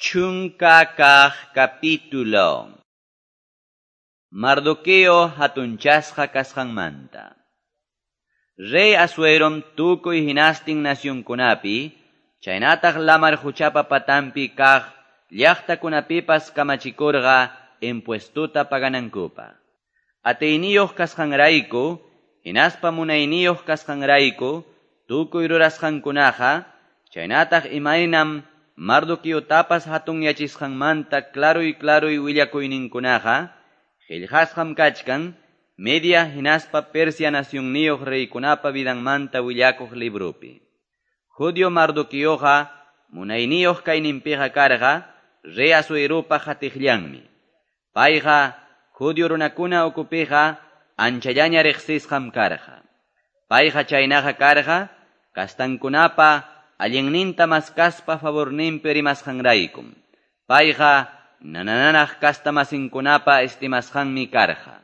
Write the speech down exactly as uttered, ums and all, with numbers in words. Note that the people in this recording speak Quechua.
Chunka kaq capítulo. Mardoqueo hatunchasqa kasqanmanta. Rey Asuerom tukuy hinastin nacionkunapi, chaynataq lamar quchapa patanpi kaq llaqtakunapipas kamachikurqa impuestuta paganankupaq. Atiyniyuq kasqanrayku, hinaspa munayniyuq kasqanrayku, tukuy rurasqankunaqa, chaynataq imaynam Mardoqueotapas hatunyachisqanmanta klaruy klaruy willakuyninkunaqa, qillqasqam kachkan Media hinaspa Persia nacionniyuq reykunapa vidanmanta willakuq librupi. Judio Mardoqueoqa munayniyuq kayninpiqa karqa rey Asuerupa qatiqllanmi. Payqa judio runakuna ukupiqa anchallaña riqsisqam karqa. Payqa chaynaqa karqa kastankunapa allinninta maskaspa favorninpi rimasqanraykum. Payqa nanananaq kastamasinkunapa estimasqanmi karqa.